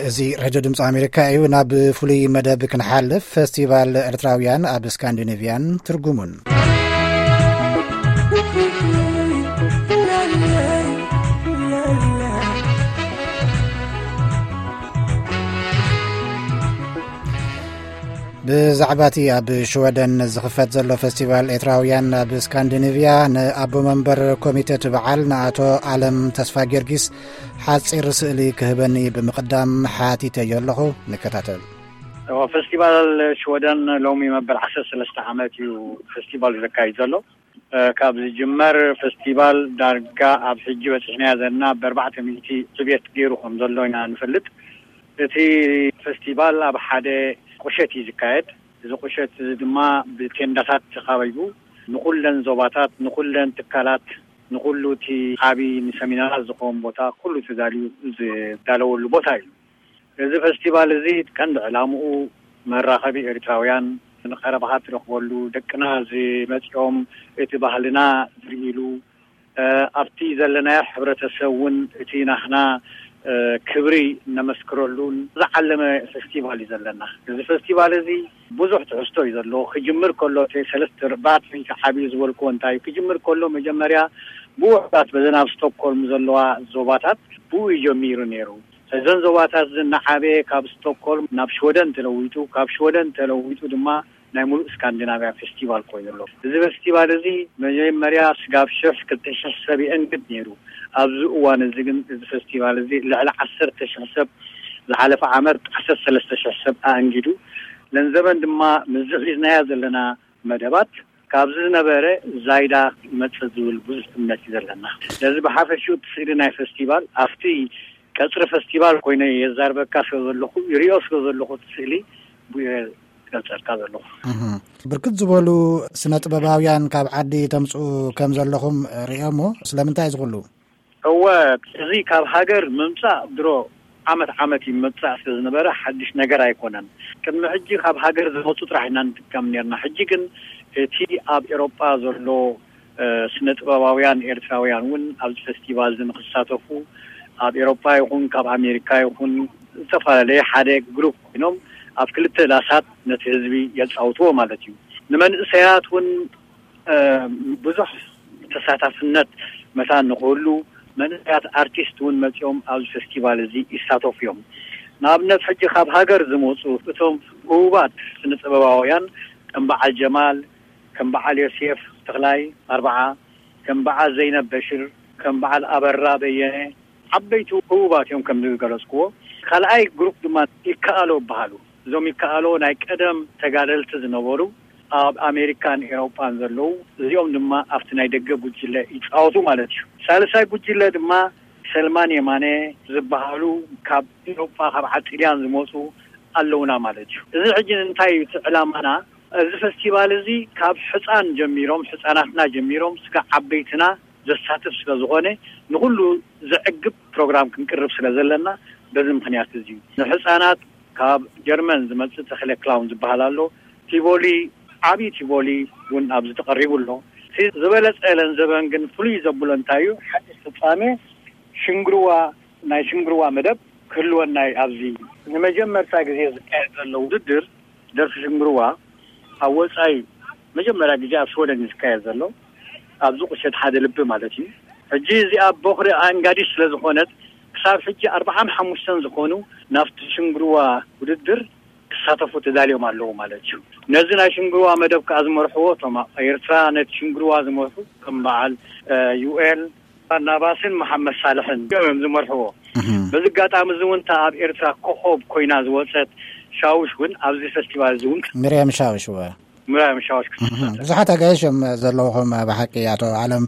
እዚ ሬድዮ ድምፂ ኣሜሪካ እዩ። ናብ ፍሉይ መደብ ክንሓልፍ፣ ፈስቲቫል ኤርትራውያን ኣብ ስካንዲኔቭያን ትርጉሙን። ብዛዕባ እቲ ኣብ ሽወደን ዝኽፈት ዘሎ ፈስቲቫል ኤርትራውያን ኣብ ስካንዲኔቭያ፣ ንኣቦ መንበር ኮሚተ እቲ በዓል ንኣቶ ኣለም ተስፋ ጊዮርጊስ ሓጺር ስእሊ ክህበኒ ብምቕዳም ሓቲተዮ ኣለኹ። ንከታተል። እዎ፣ ፈስቲቫል ሽወደን ሎሚ መበል ዓሰርተ ሰለስተ ዓመት እዩ ፈስቲቫል ዘካይድ ዘሎ። እ፣ ካብ ዝጅመር ፈስቲቫል ዳርጋ ኣብ ሕጂ በፂሕናዮ ዘለና ብኣርባዕተ ሚእቲ ዕብየት ገይሩ ከም ዘሎ ኢና ንፈልጥ። እቲ ፈስቲቫል ኣብ ሓደ ቁሸት እዩ ዝካየድ። እዚ ቁሸት እዚ ድማ ብቴንዳታት ተኻቢቡ፣ ንኹለን ዞባታት፣ ንኹለን ትካላት፣ ንኹሉ እቲ ዓቢ ንሰሚናራት ዝኸውን ቦታ ኩሉ ተዳልዩ ዝዳለወሉ ቦታ እዩ። እዚ ፈስቲቫል እዚ ቀንዲ ዕላምኡ መራኸቢ ኤርትራውያን፣ ንቐረባኻ ትረኽበሉ፣ ደቅና ዝመጽኦም እቲ ባህልና ዝርእሉ፣ እ፣ ኣብቲ ዘለናዮ ሕብረተሰብ እውን እቲ ናህና፣ እ፣ ክብሪ ነመስክረሉ ዝዓለመ ፈስቲቫል እዩ ዘለና። እዚ ፈስቲቫል እዚ ብዙሕ ትሕዝቶ እዩ ዘለዎ። ክጅምር ከሎ እቲ ሰለስተ ኣርባዕተ ሚእቲ ዓብዩ ዝበልክዎ እንታይ እዩ? ክጅምር ከሎ መጀመርያ ብውሑዳት በዘን ኣብ ስቶክሆልም ዘለዋ ዞባታት ብኡ እዩ ጀሚሩ ነይሩ። እዘን ዞባታት እዚ እናዓበየ ካብ ስቶክሆልም ናብ ሽወደን ተለዊጡ፣ ካብ ሽወደን ተለዊጡ ድማ ናይ ሙሉእ ስካንዲናቭያ ፌስቲቫል ኮይኑ ኣሎ። እዚ ፌስቲቫል እዚ መጀመርያ ስጋብ ሽሕ ክልተ ሽሕ ሰብ ይእንግድ ነይሩ። ኣብዚ እዋን እዚ ግን እዚ ፌስቲቫል እዚ ልዕሊ ዓሰርተ ሽሕ ሰብ፣ ዝሓለፈ ዓመት ዓሰርተ ሰለስተ ሽሕ ሰብ ኣእንጊዱ። ነንዘበን ድማ ምስዚ ሒዝናያ ዘለና መደባት ካብዚ ዝነበረ ዛይዳ ይመጽእ ዝብል ብዙሕ እምነት እዩ ዘለና። ነዚ ብሓፈሽኡ እቲ ስእሊ ናይ ፌስቲቫል ኣብቲ ቀጽሪ ፌስቲቫል ኮይነ የዛርበካ ስለ ዘለኹ፣ ይሪኦ ስለ ዘለኹ እቲ ስእሊ ብኡ እየ ዝገልጸልካ ዘለኹ። እህ። ብርክት ዝበሉ ስነ ጥበባውያን ካብ ዓዲ ተምጽኡ ከም ዘለኹም ርእዮሞ፣ ስለምንታይ እዚ ኩሉ? እወ፣ እዚ ካብ ሃገር ምምጻእ ድሮ ዓመት ዓመት ይመጻእ ስለ ዝነበረ ሓድሽ ነገር ኣይኮነን። ቅድሚ ሕጂ ካብ ሃገር ዝመጹ ጥራሕ ኢና ንጥቀም ነርና። ሕጂ ግን እቲ ኣብ ኤሮጳ ዘሎ፣ እ፣ ስነ ጥበባውያን ኤርትራውያን እውን ኣብዚ ፌስቲቫል እዚ ንክሳተፉ ኣብ ኤሮጳ ይኹን ካብ ኣሜሪካ ይኹን ዝተፈላለየ ሓደ ግሩፕ ኮይኖም ኣብ ክልተ ዳሳት ነቲ ህዝቢ የጻውትዎ ማለት እዩ። ንመንእሰያት እውን እ፣ ብዙሕ ተሳታፍነት መታን ንኽህሉ መንእሰያት ኣርቲስት እውን መጺኦም ኣብዚ ፌስቲቫል እዚ ይሳተፉ እዮም። ንኣብነት ሕጂ ካብ ሃገር ዝመጹ እቶም ህቡባት ስነ ጥበባውያን ከም በዓል ጀማል፣ ከም በዓል ዮሴፍ ተኽላይ ኣርብዓ፣ ከም በዓል ዘይነብ በሽር፣ ከም በዓል ኣበራ በየነ ዓበይቲ ህቡባት እዮም ከም ዝገለጽክዎ። ካልኣይ ግሩፕ ድማ ይከኣሎ ይበሃሉ። እዞም ይከኣሎ ናይ ቀደም ተጋደልቲ ዝነበሩ ኣብ ኣሜሪካን ኤውሮጳን ዘለዉ፣ እዚኦም ድማ ኣብቲ ናይ ደገ ጉጅለ ይጻወቱ ማለት እዩ። ሳልሳይ ጉጅለ ድማ ሰልማን የማነ ዝበሃሉ ካብ ኤውሮጳ ካብ ዓዲ ጥልያን ዝመጹ ኣለውና ማለት እዩ። እዚ ሕጂ እንታይ እዩ እቲ ዕላማና? እዚ ፈስቲቫል እዚ ካብ ሕጻን ጀሚሮም፣ ሕጻናትና ጀሚሮም ስጋብ ዓበይትና ዘሳትፍ ስለ ዝኾነ ንኹሉ ዘዕግብ ፕሮግራም ክንቅርብ ስለ ዘለና በዚ ምኽንያት እዚ እዩ። ንሕጻናት ካብ ጀርመን ዝመጽእ ተኽለ ክላውን ዝበሃል ኣሎ። ቲቮሊ፣ ዓቢ ቲቮሊ እውን ኣብዚ ተቐሪቡ ኣሎ። እቲ ዝበለጸ ለንዘበን ግን ፍሉይ ዘብሎ እንታይ እዩ? ሓደ ፍጻሜ ሽንግርዋ፣ ናይ ሽንግርዋ መደብ ክህልወና እዩ። ኣብዚ ንመጀመርታ ግዜ ዝካየድ ዘሎ ውድድር ደርፊ ሽንግርዋ ኣብ ወጻኢ መጀመርያ ግዜ ኣብ ሽወደን እዩ ዝካየድ ዘሎ፣ ኣብዚ ቁሸት ሓደ ልቢ ማለት እዩ። ሕጂ እዚኣ ቦኽሪ ኣንጋዲ ስለ ዝኾነት ክሳብ ሕጂ ኣርብዓን ሓሙሽተን ዝኾኑ ናብቲ ሽንግርዋ ውድድር ክሳተፉ ተዳልዮም ኣለዉ ማለት እዩ። ነዚ ናይ ሽንግርዋ መደብ ከኣ ዝመርሕዎ እቶም ኣብ ኤርትራ ነቲ ሽንግርዋ ዝመርሑ ከም በዓል፣ እ፣ ዩኤል ባርናባስን መሓመድ ሳልሕን እዮም ዝመርሕዎ። እህ። በዚ ኣጋጣሚ እዚ እውን እታ ኣብ ኤርትራ ኮኾብ ኮይና ዝወጸት ሻውሽ እውን ኣብዚ ፌስቲቫል እዚ እውን፣ ሚርያም ሻውሽ፣ እወ። ሚርያም ሻውሽ ክትሳተፍ። እህ። ብዙሓት ኣጋይሽ እዮም ዘለውኹም ብሓቂ ኣቶ ዓለም።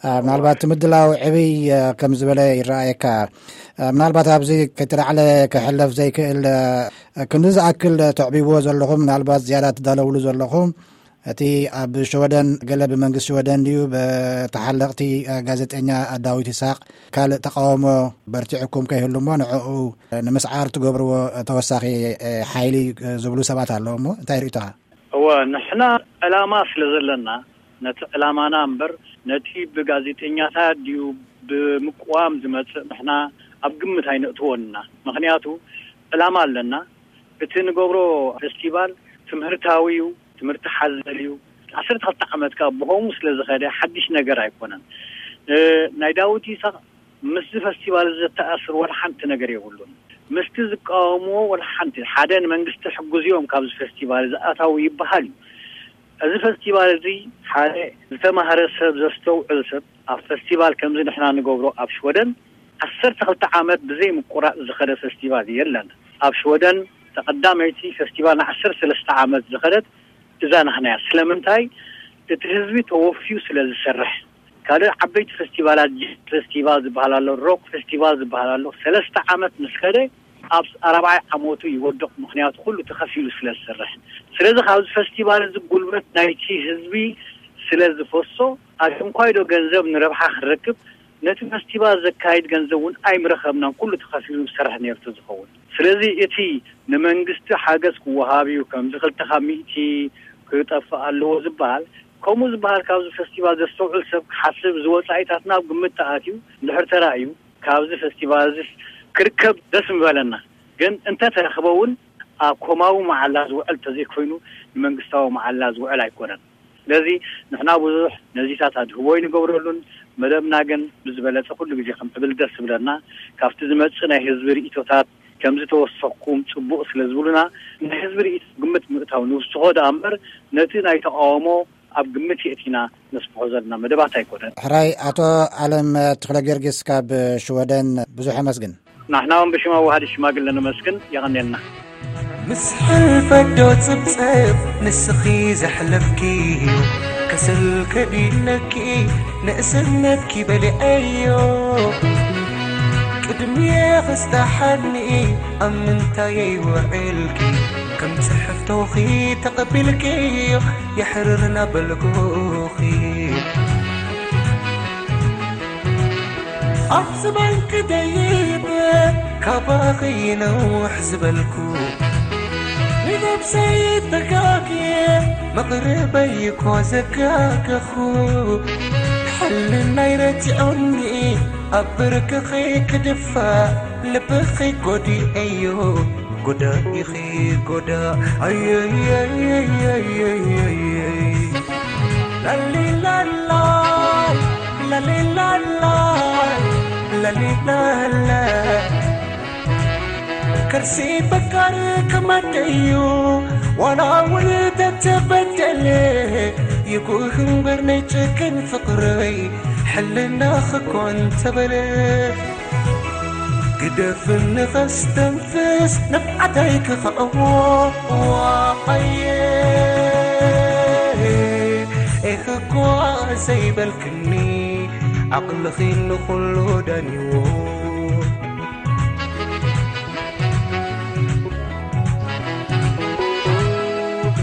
እ፣ ምናልባት እቲ ምድላው ዕብይ፣ እ፣ ከም ዝበለ ይረኣየካ። እ፣ ምናልባት ኣብዚ ከይተላዕለ ክሕለፍ ዘይክእል፣ እ፣ ክንዲ ዝኣክል ተዕቢብዎ ዘለኹም፣ ምናልባት ዝያዳ ትዳለውሉ ዘለኹም፣ እቲ ኣብ ሽወደን ገለ ብመንግስቲ ሽወደን ድዩ ብተሓለቕቲ ጋዜጠኛ ዳዊት ይስሓቅ ካልእ ተቃውሞ በርቲዕኩም ከይህሉ እሞ ንዕኡ ንምስዓር ትገብርዎ ተወሳኺ ሓይሊ ዝብሉ ሰባት ኣለዉ እሞ እንታይ ርእይቶኻ? እወ፣ ንሕና ዕላማ ስለ ዘለና ነቲ ዕላማና እምበር ነቲ ብጋዜጠኛታት ድዩ ብምቅዋም ዝመጽእ ንሕና ኣብ ግምት ኣይነእትዎን ኢና። ምኽንያቱ ዕላማ ኣለና። እቲ ንገብሮ ፌስቲቫል ትምህርታዊ እዩ፣ ትምህርቲ ሓዘል እዩ። ዓሰርተ ክልተ ዓመት ካብ ብኸምኡ ስለ ዝኸደ ሓድሽ ነገር ኣይኮነን። ናይ ዳዊት ይስሐቅ ምስዚ ፈስቲቫል ዝተኣስር ወላ ሓንቲ ነገር የብሉን። ምስቲ ዝቃወምዎ ወላ ሓንቲ፣ ሓደ ንመንግስቲ ሕጉዝዮም ካብዚ ፈስቲቫል ዝኣታው ይበሃል እዩ። እዚ ፈስቲቫል እዚ ሓደ ዝተማህረ ሰብ፣ ዘስተውዕል ሰብ፣ ኣብ ፈስቲቫል ከምዚ ንሕና ንገብሮ ኣብ ሽወደን ዓሰርተ ክልተ ዓመት ብዘይ ምቁራጽ ዝኸደ ፈስቲቫል የለን። ኣብ ሽወደን ተቐዳመይቲ ፈስቲቫል ንዓሰርተ ሰለስተ ዓመት ዝኸደት እዛ ናህናያ። ስለምንታይ? እቲ ህዝቢ ተወፍዩ ስለ ዝሰርሕ። ካልእ ዓበይቲ ፈስቲቫላት፣ ጃዝ ፈስቲቫል ዝበሃል ኣሎ፣ ሮክ ፈስቲቫል ዝበሃል ኣሎ። ሰለስተ ዓመት ምስ ከደ ኣብ ኣራብዓይ ዓመቱ ይወድቕ። ምኽንያቱ ኩሉ ተኸፊሉ ስለ ዝሰርሕ። ስለዚ ካብዚ ፈስቲቫል እዚ ጉልበት ናይቲ ህዝቢ ስለ ዝፈሶ፣ ኣሽንኳይዶ ገንዘብ ንረብሓ ክንረክብ፣ ነቲ ፈስቲቫል ዘካይድ ገንዘብ እውን ኣይምረኸብናን። ኩሉ ተኸፊሉ ዝሰርሕ ነርቱ ዝኸውን። ስለዚ እቲ ንመንግስቲ ሓገዝ ክወሃብ እዩ፣ ከምዚ ክልተ ካብ ሚእቲ ክጠፍእ ኣለዎ ዝበሃል፣ ከምኡ ዝበሃል፣ ካብዚ ፈስቲቫል ዘስተውዕል ሰብ ክሓስብ፣ ዝወፃኢታትና ኣብ ግምት ተኣትዩ እንድሕር ተራእዩ፣ ካብዚ ፈስቲቫል እዚ ክርከብ ደስ ምበለና። ግን እንተተረኽበ እውን ኣብ ኮማዊ መዓላ ዝውዕል ተዘይኮይኑ፣ ንመንግስታዊ መዓላ ዝውዕል ኣይኮነን። ስለዚ ንሕና ብዙሕ ነዚታት ኣድህቦ ይንገብረሉን፣ መደብና ግን ብዝበለጸ ኩሉ ግዜ ከምዕብል ደስ ዝብለና፣ ካብቲ ዝመጽእ ናይ ህዝቢ ርእይቶታት ከም ዝተወሰኽኩም ጽቡቕ ስለ ዝብሉና፣ ናይ ህዝቢ ርእይቶ ግምት ምእታው ንውስኾ ደኣ እምበር፣ ነቲ ናይ ተቃውሞ ኣብ ግምት የእቲና ነስፍሖ ዘለና መደባት ኣይኮነን። ሕራይ፣ ኣቶ ኣለም ተኽለ ጊዮርጊስ ካብ ሽወደን ብዙሕ ኣመስግን። ንሕና እውን ብሽም ኣዋሃዲ ሽማግለ ነመስግን። የቐንየልና። ምስ ሕልፈት ዶ ጽብጽብ ንስኺ ዘሕለፍኪ፣ ከሰል ከዲነኪ ንእስነትኪ በሊዐዮ። ቅድሚየ ክስታሓኒ ኣብ ምንታየይ ውዕልኪ፣ ከም ጽሕፍቶኺ ተቐቢልክዮ የሕርርና በልኩኺ። ኣብ ዝባንኪ ደይበ ካባኺ ነውሕ ዝበልኩ፣ ንነብሰይ ተጋግየ መቕርበይ እኳ ዘጋገኹ። ሕልናይ ረቲዑኒ ኣብ ብርክኺ ክድፋእ ልብኺ ጎዲኤዮ። ጎዳኢኺ ጎዳ ኣየየየየየየ። ላሊላላ፣ ላሊላላ፣ ላሊላላ። ከርሲ ፈቃር ከማደዩ ዋላ እውን ተተበደለ፣ ይጉህ እምበር ናይ ጨክን ፍቕረይ ሕልና ክኮን ተበለ። ግደፍኒ ከስተንፍስ ንብዓተይ ክኽዕዎ። ኣየ ኢኺ እኳ ዘይበልክኒ፣ ዓቕልኺ ንኹሉ ዳንይዎ።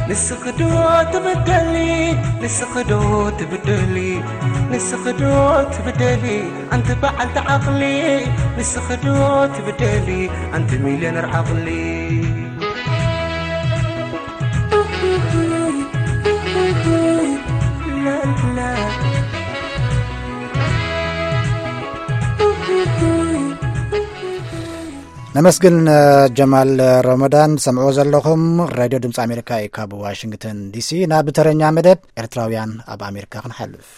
ንስኺ ዶ ትብደሊ፣ ንስኺ ዶ ትብደሊ፣ ንስኺ ዶ ትብደሊ፣ ኣንቲ በዓልቲ ዓቕሊ፣ ንስኺ ዶ ትብደሊ፣ ኣንቲ ሚልዮነር ዓቕሊ። ነመስግን ጀማል ረመዳን። ሰምዕዎ ዘለኹም ሬድዮ ድምፂ ኣሜሪካ እዩ፣ ካብ ዋሽንግተን ዲሲ። ናብ ተረኛ መደብ ኤርትራውያን ኣብ ኣሜሪካ ክንሓልፍ።